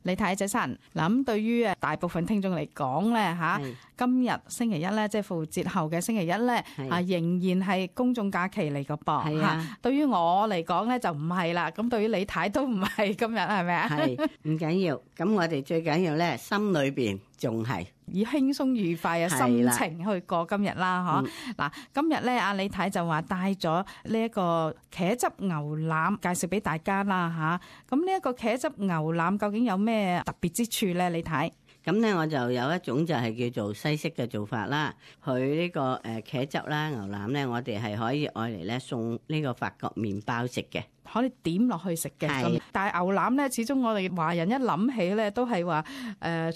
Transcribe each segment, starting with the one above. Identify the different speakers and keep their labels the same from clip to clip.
Speaker 1: 李太早晨。嗱，咁對於大部分聽眾嚟講咧嚇，今日星期一咧，即係復活節後嘅星期一咧，仍然係公眾假期嚟個噃嚇。對於我嚟講咧就唔係啦，咁對於李太都唔係今日，係咪啊？
Speaker 2: 係唔緊要，咁我哋最緊要咧心裏邊仲係
Speaker 1: 以輕鬆愉快嘅心情去過今日啦，嗬。嗱，今日咧阿李太就話帶咗呢一個茄汁牛腩介紹俾大家啦嚇。咁呢一個茄汁牛腩究竟有咩特別之處咧？李太？
Speaker 2: 咁咧我就有一種就係叫做西式嘅做法啦。佢呢個茄汁啦牛腩咧，我哋係可以愛嚟咧送呢個法國麵包食嘅，
Speaker 1: 可以點落去食嘅。但係牛腩咧，始終我哋華人一諗起咧，都係話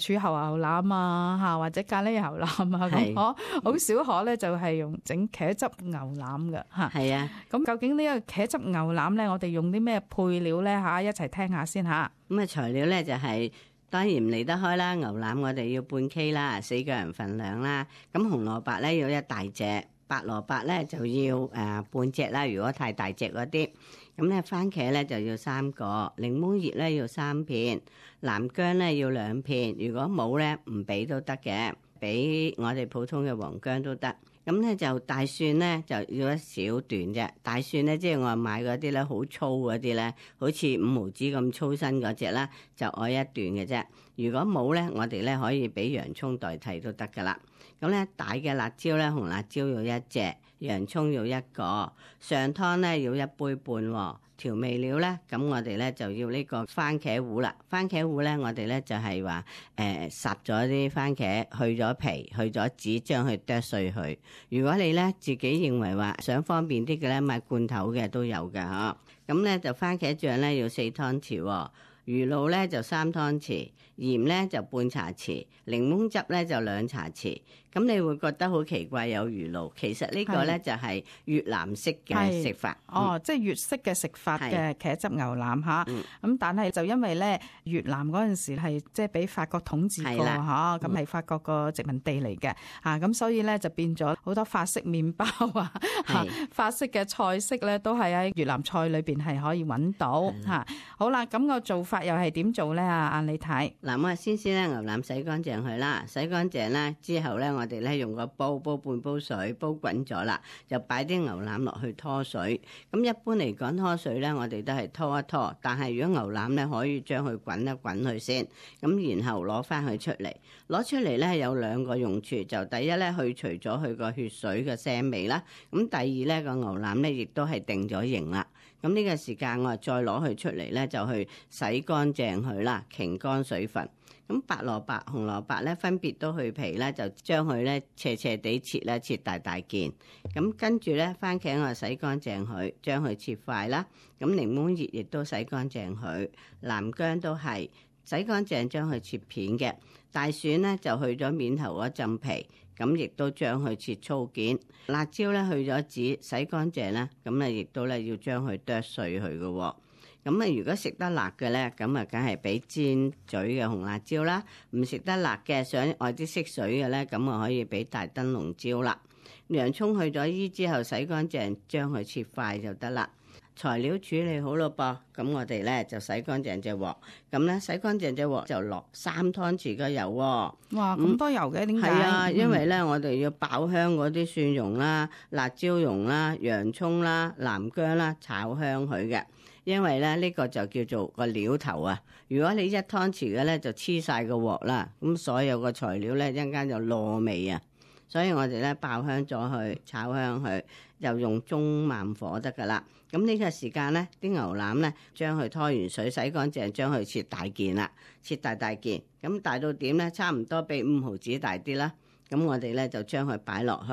Speaker 1: 柱侯牛腩啊嚇，或者咖喱牛腩啊咁，好少可咧就係用整茄汁牛腩嘅嚇。係啊，咁究竟呢個茄汁牛腩咧，我哋用啲咩配料咧嚇？一齊聽下先嚇。
Speaker 2: 咁啊材料咧就係當然唔離得開啦，牛腩我哋要半 K 啦，4個人份量啦。咁紅蘿蔔咧要一大隻，白蘿蔔咧就要半隻啦。如果太大隻嗰啲，咁咧番茄咧就要3個，檸檬葉咧要3片，南薑咧要2片。如果冇咧唔俾都得嘅，俾我哋普通嘅黃薑都得。咁咧就大蒜咧就要一小段啫，大蒜咧即係我買嗰啲咧好粗嗰啲咧，好似5毫子咁粗身嗰隻啦，就愛一段嘅啫。如果冇咧，我哋咧可以俾洋葱代替都得噶啦。咁咧大嘅辣椒咧，紅辣椒要1隻，洋葱要1個，上湯咧要1杯半喎。調味料咧，咁我哋咧就要呢個番茄糊啦。番茄糊咧，我哋咧就係話烚咗啲番茄，去咗皮，去咗籽，將佢剁碎佢。如果你咧自己認為話想方便啲嘅咧，買罐頭嘅都有㗎嗬。咁咧就番茄醬咧要4湯匙喎。魚露咧就3湯匙，鹽咧就半茶匙，檸檬汁咧就2茶匙。咁你會覺得好奇怪有魚露，其實呢個咧就係越南式嘅食法。
Speaker 1: 即係粵式嘅食法嘅茄汁牛腩嚇。咁但係就因為咧越南嗰陣時係即係俾法國統治過嚇，咁係法國個殖民地嚟嘅嚇，咁所以咧就變咗好多法式麵包啊，法式嘅菜式咧都係喺越南菜裏邊係可以揾到嚇。好啦，咁個做法又係點做咧？阿李太，
Speaker 2: 嗱，我先咧牛腩洗乾淨佢啦，洗乾淨啦之後咧，我哋咧用個煲半煲水，煲滾咗啦，就擺啲牛腩落去拖水。咁一般嚟講拖水咧，我哋都係拖一拖，但係如果牛腩咧，可以將佢滾一滾佢先，咁然後攞翻佢出嚟。攞出嚟咧有2個用處，就第一咧去除咗佢個血水嘅腥味啦，咁第二咧個牛腩咧亦都係定咗型啦。咁呢個時間我再攞佢出嚟咧，就去洗乾淨佢啦，擎乾水分。咁白蘿蔔、紅蘿蔔咧分別都去皮咧，就將佢咧斜斜地切咧，切大大件。咁跟住咧番茄我洗乾淨佢，將佢切塊啦。咁檸檬葉亦都洗乾淨佢，南薑都係洗乾淨將佢切片嘅。大蒜咧就去咗面頭嗰浸皮，咁亦都將佢切粗件。辣椒咧去咗籽，洗乾淨啦，咁啊亦都咧要將佢剁碎佢嘅。咁啊，如果食得辣嘅咧，咁啊，梗係俾尖嘴嘅紅辣椒啦；唔食得辣嘅，想愛啲色水嘅咧，咁啊可以俾大燈籠椒啦。洋葱去咗衣之後，洗乾淨，將佢切塊就得啦。材料處理好咯噃，咁我哋咧就洗乾淨隻鑊，咁咧洗乾淨隻鑊就落3湯匙嘅油喎。
Speaker 1: 哇，咁多油嘅，點解？
Speaker 2: 係啊，因為咧我哋要爆香嗰啲蒜蓉啦、辣椒蓉啦、洋葱啦、南薑啦，炒香佢嘅。因為咧呢個就叫做個料頭啊。如果你1湯匙嘅咧就黐晒個鑊啦，咁所有個材料咧一陣間就落味啊。所以我哋咧爆香咗佢，炒香佢，就用中慢火得噶啦。咁呢個時間咧，啲牛腩咧將佢拖完水洗乾淨，將佢切大件啦，切大件。咁大到點咧？差唔多比5毫子大啲啦。咁我哋咧就將佢擺落去，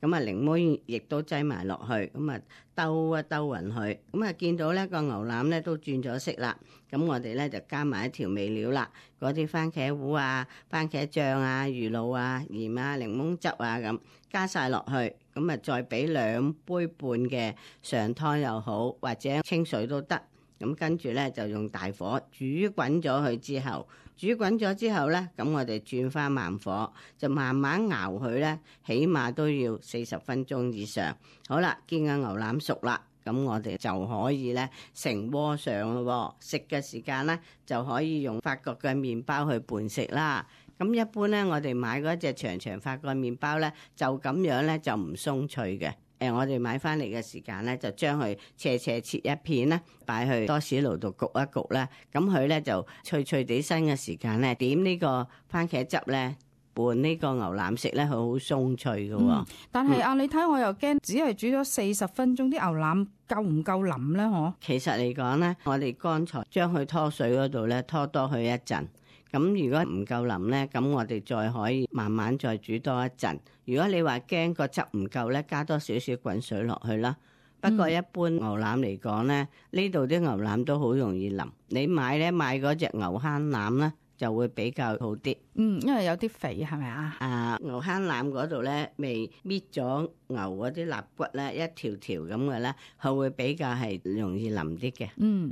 Speaker 2: 咁啊檸檬亦都擠埋落去，咁啊兜一兜勻佢，咁啊見到咧個牛腩咧都轉咗色啦，咁我哋咧就加埋啲調味料啦，嗰啲番茄糊啊、番茄醬啊、魚露啊、鹽啊、檸檬汁啊咁加晒落去，咁啊再俾2杯半嘅上湯又好，或者清水都得。咁跟住咧就用大火煮滾咗佢之後，煮滾咗之後咧，咁我哋轉翻慢火，就慢慢熬佢咧，起碼都要40分鐘以上。好啦，見個牛腩熟啦，咁我哋就可以咧成鍋上咯。食嘅時間咧就可以用法國嘅麵包去伴食啦。咁一般咧，我哋買嗰隻長長法國麵包咧，就咁樣咧就唔鬆脆嘅。我哋買翻嚟嘅時間咧，就將佢斜切一片啦，擺去多士爐度焗一焗啦。咁佢咧就脆脆地身嘅時間咧，點呢個番茄汁咧拌呢個牛腩食咧，佢好鬆脆嘅。
Speaker 1: 但係你睇我又驚，只係煮咗40分鐘，啲牛腩夠唔夠腍咧？嗬？其
Speaker 2: 實嚟講咧，我哋剛才將佢拖水嗰度咧拖多佢一陣。咁如果唔夠腍咧，咁我哋再可以慢慢再煮多一陣。如果你話驚個汁唔夠咧，加多少少滾水落去啦。不過一般牛腩嚟講咧，呢度啲牛腩都好容易腍。你買嗰隻牛坑腩咧，就會比較好啲。
Speaker 1: 因為有啲肥係咪啊？
Speaker 2: 牛坑腩嗰度咧，未搣咗牛嗰啲肋骨咧，一條條咁嘅咧，佢會比較係容易腍啲嘅。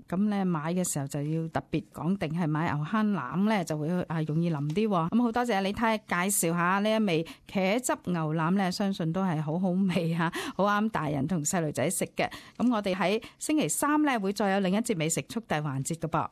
Speaker 1: 咁咧買嘅時候就要特別講定係買牛坑腩咧，就會容易腍啲。咁好多謝李太介紹下呢一味茄汁牛腩咧，相信都係好好味嚇，好啱大人同細路仔食嘅。咁我哋喺星期3咧會再有另一節美食速遞環節嘅噃。